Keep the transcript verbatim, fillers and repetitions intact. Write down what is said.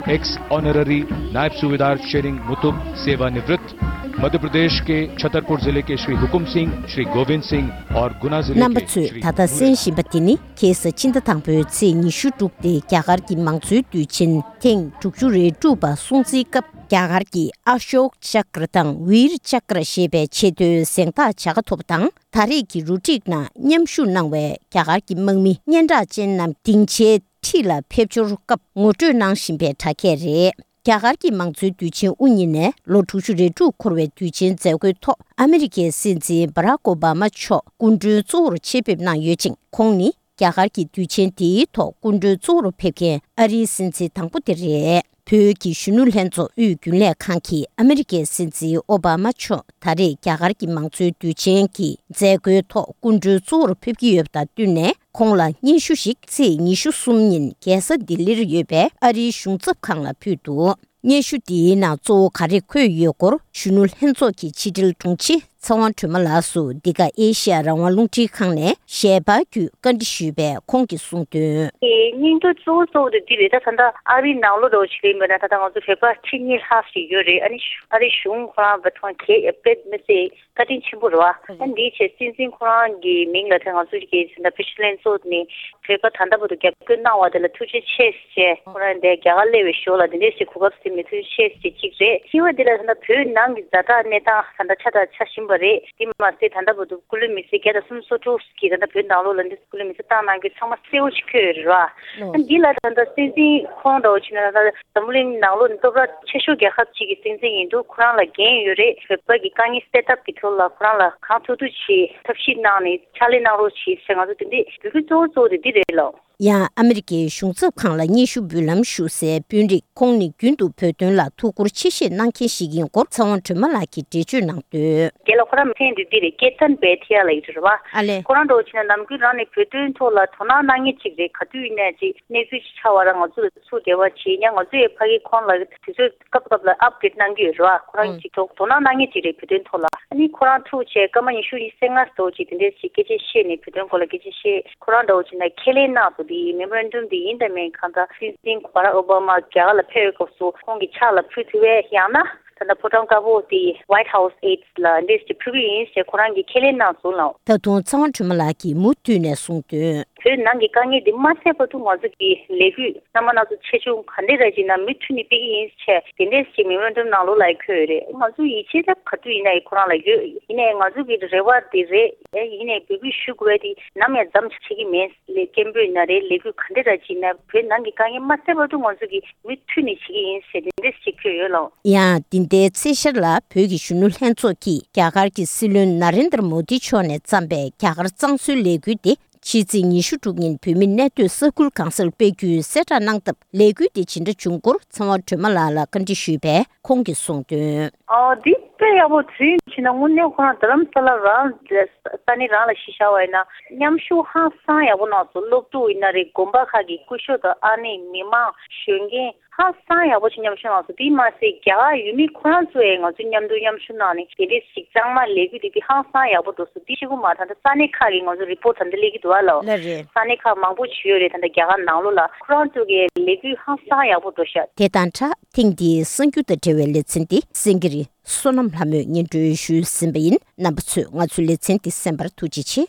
X honorary नायब सूबेदार शेरिंग मुतुब सेवानिवृत्त, मध्य प्रदेश के छतरपुर जिले के श्री हुकुम सिंह, श्री गोविंद सिंह और गुना जिले के श्री नूर अहमद। རྣམ་པ་ཚོས་ད་ལྟ་གསན་བཞིན་པ་དེ་ནི་ཁ་སང་ཕྱི་ཟླ་དང་པོའི་ཚེས་ཉི་ཤུ་དྲུག་སྟེ་རྒྱ་གར་གྱི་མང་གཙོའི་དུས་ཆེན་ཐེངས་དྲུག་ཅུ་རེ་དྲུག་པ་སྲུང་བརྩིའི་སྐབས། རྒྱ་གར་གྱི་ཨ་ཤོག་ཅཀྲ་དང་ཝིར་ཅཀྲ་ཞེས་པའི་ཆེས་མཐོའི་གཟེངས་རྟགས་བྱ་དགའ་ཐོབ་པ་དང་། ད་རེས་ཀྱི་རུ་སྒྲིག་ནང་མཉམ་ཞུགས་གནང་བའི་རྒྱ་གར་གྱི་དམག་མི་སྙན་གྲགས་ཅན་རྣམས་སྡིངས་ཆའི་འཁྲིས་ལ་ཕེབས་འབྱོར་སྐབས་ངོ་སྤྲོད་གནང་བཞིན་པའི་དྲ་རྒྱས་རེད། རྒྱ་གར་གྱི་མང་གཙོའི་དུས་ཆེན་དབུ་བརྙེས་ནས་ལོ་དྲུག་ཅུ་རེ་དྲུག་འཁོར་བའི་དུས་ཆེན་མཛད་སྒོའི་ཐོག་ཨ་མི་རི་ཀའི་སྲིད་འཛིན་བྷ་རག་ཨོ་བྷ་མ་མཆོག་སྐུ་མགྲོན་གཙོ་བོར་ཆེད་ཕེབས་གནང་ཡོད་ཅིང་། ཁོང་ནི་རྒྱ་གར་གྱི་དུས་ཆེན་དེའི་ཐོག་སྐུ་མགྲོན་གཙོ་བོར་ཕེབས་མཁན་ཨ་རིའི་སྲིད་འཛིན་དང་པོ་དེ་རེད། བོད་ཀྱི་གཞོན་ནུ་ལྷན་ཚོགས་དབུས་རྒྱུན་ལས་ཁང་གིས་ཨ་མི་རི་ཀའི་སྲིད་འཛིན་ཨོ་བྷ་མ་མཆོག་ད་རེས་རྒྱ་གར་གྱི་མང་གཙོའི་དུས་ཆེན་གྱི་མཛད་སྒོའི་ཐོག་སྐུ་མགྲོན་གཙོ་བོར་ཕེབས་ཀྱི་ཡོད་པ་དང་བསྟུན་ནས། ཁོང་ལ་སྙན་ཞུ་ཞིག་ཚེས་ཉི་ཤུ་གསུམ་ཉིན་རྒྱལ་ས་ལྡི་ལིར་ཡོད་པའི་ཨ་རིའི་གཞུང་ཚབ་ཁང་ལ་ཕུལ་འདུག་སྙན་ཞུ་དེའི་ནང་གཙོ་བོ་ག་རེ་འཁོད་ཡོད་སྐོར་གཞོན་ནུ་ལྷན་ཚོགས་ཀྱི་ཕྱི་དྲིལ་དྲུང་ཆེ་ཚེ་དབང་སྒྲོལ་མ་ལགས་སུ་འདི་ག་ཨེ་ཤི་ཡ་རང་དབང་རླུང་འཕྲིན་ཁང་ནས་ཞལ་པར་བརྒྱུད་བཀའ་འདྲི་ཞུས་པས། ཁོང་གིས་གསུངས་དོན། སྙིང་དོན་གཙོ་བོ་གཙོ་བོ་དེ་འདི་རེད། ད་ད་ལྟ་ཨ་རིའི་ནང་ལོགས་འདྲ་བོ་ཞིག་ལ་ཡིན་པ་ན། ད་ལྟ་ང་ཚོ་བོད་པ་ཁྲི་གཉིས་ལྷག་ཞིག་ཡོད་རེད། ཨ་ནི་ཨ་རིའི་གཞུང་ཁོ་རང་བོད་དོན་གལ་ཡོད་པའི་མི་སེར་བཀའ་དྲིན་ཆེན་པོ་རེད་བ། ཨ་འདིའི་ཆེད་སྲིད་འཛིན་ཁོ་རང་གི་མིང་ལ་ད་ང་ཚོ་གི་ད་ལྟ་བོད་གཞོན་ལྷན་ཚོགས་ནས་བོད་པ་ད་ལྟ་བར་དུ་རྒྱབ་སྐྱོར་གནང་བ་དེ་ལ་ཐུགས་རྗེ་ཆེ་ཞེས། ཁོ་རང་འདིར་རྒྱ་གར་སླེབས་པའི་ཞོར་ལ་འདི་འདྲའི་ཞིག་གོ་སྐབས་ཟིན་པའི་ཐུགས་རྗེ་ཆེ་ཞེས་གཅིག་རེད། གཉིས་པ་འདི་ལ་ད་ལྟ་བོད་ནང་གི་ཛ་དྲག་གནས་སྟངས་ད་ལྟ་ཆ་དང་ཆ་བཞིན་པ་རེད། དེ་མ་ཟད་ད་ལྟ་བར་དུ་སྐུ་ལུས་མི་སེར་བརྒྱ་དང་སུམ་ཅུ་སོ་དྲུག་གིས་ད་ལྟ་བོད་ནང་ལོགས་ལ་འདི་སྐུ་ལུས་མི་སེར་བཏང་གནང་རྒྱུ་ཚང་མ་གསལ་བོ་ཞིག་འཁོད་ཡོད་རེད་བ། ཨ་འདི་ལ་ད་ལྟ་སྲིད་འཛིན་ཁོང་འདྲ་བོ་བྱས་ན་ད་ལྟ་འཛམ་བུ་གླིང་ནང་ལོགས་ནས་སྟོབས་ར་ཆེ་ཤོས་རྒྱལ་ཁབ་ཅིག་གི་སྲིད་འཛིན་ཡིན་འདུག་ཁོ་རང་ལ་འགན་ཡོད་རེད། བོད་པ་གི་དཀའ་ངལ་སེལ་ཐབས་ཀྱི་ཐོག་ལ་ཁོ་རང་ལ་གང་ཐུབ་ཐུབ་བྱེད་ཐབས་ཤེས་གནང་ནས་ཕྱག་ལས་གནང་རོགས་བྱེད་ཟེར། ང་ཚོ་དེ་འདྲས་འབོད་སྐུལ་གཙོ་བོ་གཙོ་བོ་དེ་འདི་རེད་ལགས། ཡང་ཨ་མི་རི་ཀའི་གཞུང་ཚབ་ཁང་ལ་སྙན་ཞུ་འབུལ་ལམ་ཞུ་སའི་དཔོན་རིགས་ཁོང་ནི་རྒྱུན་དུ་བོད་དོན་ལ་ཐུགས་ཁུར་ཆེ་བཞེས་གནང་མཁན་ཞིག་ཡིན་སྐོར་ཚེ་དབང་སྒྲོལ་མ་ལགས་ཀྱིས་འགྲེལ་བརྗོད་གནང་དོན། རྒན་ལགས་ཁོ་རང་མཚན་འདི་འདི་རེད། ཀེ་ཏན་བེ་ཐི་ཡ་ལ་ཡོད་རེད་བ། ཨ་ལས། ཁོ་རང་འདྲ་བོ་བྱས་ན་ནམ་རྒྱུན་རང་ནས་བོད་དོན་ཐོག་ལ་དོ་སྣང་གནང་མཁན་ཅིག་རེད། ག་དུས་ཡིན་ནའི་ཅིག་གནས་ཚུལ་ཅིག་ཆགས་པ་ར་ང་ཚོ་ལ་ཚུར་འབྲེལ་བ་བྱེད་ཡ། ང་ཚོ་ཡི་ཕ་གི་ཁོང་ལ་དུས་ཚོད་སྐབས་སྐབས་ལ་ཨབ་ཌེཊ་གནང་གི་ཡོད་རེད་བ། ཁོ་རང་ཨང་། ཅིག་དོ་དོ་སྣང་གནང་མཁན་ཅིག་རེད་བོད་དོན་ཐོག་ལ། ཨ་ནི་ཁོ་རང་ཐུག་བྱས་སྐར་མ་ཉི་ཤུ་ཉི་ཤུ་རྩ་ལྔ་འདྲ་བོ་ཅིག་དེ་འདྲས་ཅིག་སྐད་ཆ་བཤད་ནས་བོད་དོན་སྐོར་ལ་སྐད་ཆ་བཤད། ཁོ་རང་འདྲ་བོ་བྱས་ན་ཁས་ལེན་གནང་སོང་། དེ་མེ་མོ་རན་ཌམ་དེ་ཡིན་དང་མིན་གང་ལྟར་སྲིད་འཛིན་བྷ་རག་ཨོ་བྷ་མ་རྒྱ་གར་ལ་ཕེབས་པའི་སྐབས་སུ་ཁོང་གི་ཕྱག་ལ་ཕུལ་ཐུབ་པས། ཡང་ན་ད་ལྟ་ཕོ་བྲང་དཀར་པོ་དེ་White House Aids ལ་འདྲས་ཅིག་ཕུལ་གི་ཡིན་ཞེས་ཁོ་རང་གིས་ཁས་ལེན་གནང་སོང་ལགས། ད་དུང་ཚེ་དབང་སྒྲོལ་མ་ལགས་ཀྱིས་མུ་མཐུད་ནས་གསུངས་དོན། བོད་ནང་གི་དཀའ་ངལ་འདི་མ་སེལ་བར་དུ་ང་ཚོ་གི་ལས་འགུལ་རྣམ་པ་སྣ་ཚོགས་ཆེ་ཆུང་ག་འདྲ་ར་ཅིག་ན་མུ་མཐུད་ནས་སྤེལ་གི་ཡིན་ཞེས་དེ་འདྲས་ཅིག་མེ་མོ་རན་ཌམ་ནང་ལོགས་ལ་འཁོད་ཡོད་རེད། ང་ཚོ་ཡིད་ཆེས་ད་ག་དུས་ཡིན་ན་ཡང་ཁོ་རང་ལ་ཡོད། ཡིན་ནའི་ང་ཚོ་གི་རེ་བ་དེ་རེད། ཨེ་ཡིན་ནའི་འབོད་སྐུལ་ཞུ་དགོས་པ་དེ་ནམ་ཡང་མཚམས་ཆད་ཀྱི་མེད། ལས་སྐད་འབོད་ན་རེད། ལས་འགུལ་ག་འདྲ་ར་ཅིག་ན་བོད་ནང་གི་དཀའ་ངལ་མ་སེལ་བར་དུ་ང་ཚོ་གི་མུ་མཐུད་ནས་བྱེད་ཀྱི་ཡིན་ཞེས་དེ་འདྲས་ཅིག་འཁོད་ཡོད་ལགས། ཡང་འདི་ཟླའི་ཚེས་ཤར་ལ་བོད་ཀྱི་གཞོན་ནུ་ལྷན་ཚོགས་ཀྱིས་རྒྱ་གར་གྱི་སྲིད་བློན་ན་རེན་དར་མོ་དི་མཆོག་ནས་བརྩམས་པའི་རྒྱ་གར་གཙང་བཟོའི་ལས་འགུལ་དེ་ཕྱི་ཚེས་ཉི་ཤུ་དྲུག་ཉིན་བོད་མི་གནས་སྡོད་ས་ཁུལ་གང་སར་སྤེལ་རྒྱུའི་གསལ་བསྒྲགས་གནང་སྟབས། ལས་འགུལ་དེ་ཇི་འདྲ་བྱུང་སྐོར་ཚེ་དབང་སྒྲོལ་མ་ལགས་ལ་བཀའ་འདྲི་ཞུས་པས། ཁོང་གིས་གསུངས་དོན། ཨོ་འདི་དཔེ་ཡག་པོ། དུས་ཡུན་ཕྱིན་ན་དངོས་གནས་ཁོ་རང་རྡ་རམ་ས་ལ་རང་ས་གནས་རང་ལ་གཞི་བཞག་པ་ཡིན་ན་མཉམ་ཞུགས་ཧང་སང་ཡག་པོ་གནང་སོང་། སློབ་ཕྲུག་ཡིན་ན་རེད། དགོན་པ་ཁག་གི་སྐུ་ཞབས་དང་ཨ་ནེ་མི་མང་གཞོན་སྐྱེས་ཧང་སང་ཡག་པོ་ཞིག་མཉམ་ཞུགས་གནང་སོང་། དེ་མ་ཟད་རྒྱ་གར་ཡུལ་མི་ཁོ་རང་ཚོ་ཡང་ང་ཚོ་མཉམ་དུ་མཉམ་ཞུགས་གནང་ནས་དེ་འདྲས་ཞིག་གཙང་མ་ལས་འགུལ་དེ་དེ་ཧང་སང་ཡག་པོ་འགྲོ་སོང་། དེ་གཅིག་པུ་མ་རེད། ད་ལྟ་ས་གནས་ཁག་གི་ང་ཚོ་རི་པོར་ཊ་ད་ལྟ་སླེབས་ཀྱི་འདུག་ཨ་ལོ། ལགས་རེད། ས་གནས་ཁག་མང་པོ་ཞིག་ཡོད་རེད། ད་ལྟ་རྒྱ་གར་ནང་ལོགས་ལ་ཁོ་རང་ཚོ་གི་ལས་འགུལ་ཧང་སང་ཡག་པོ་འགྲོ་ཤག་དེ་དང་སྦྲགས་ཐེངས་འདིའི་གསར་འགྱུར་དང་འབྲེལ་བའི་ལེ་ཚན་འདི་སེང་གེ་རི་བསོད་ནམས་ལྷ་མོས་སྙན་སྒྲོན་ཞུས་ཟིན་པ་ཡིན། རྣམ་པ་ཚོས་ང་ཚོའི་ལེ་ཚན་འདི་གསན་པར་ཐུགས་རྗེ་ཆེ།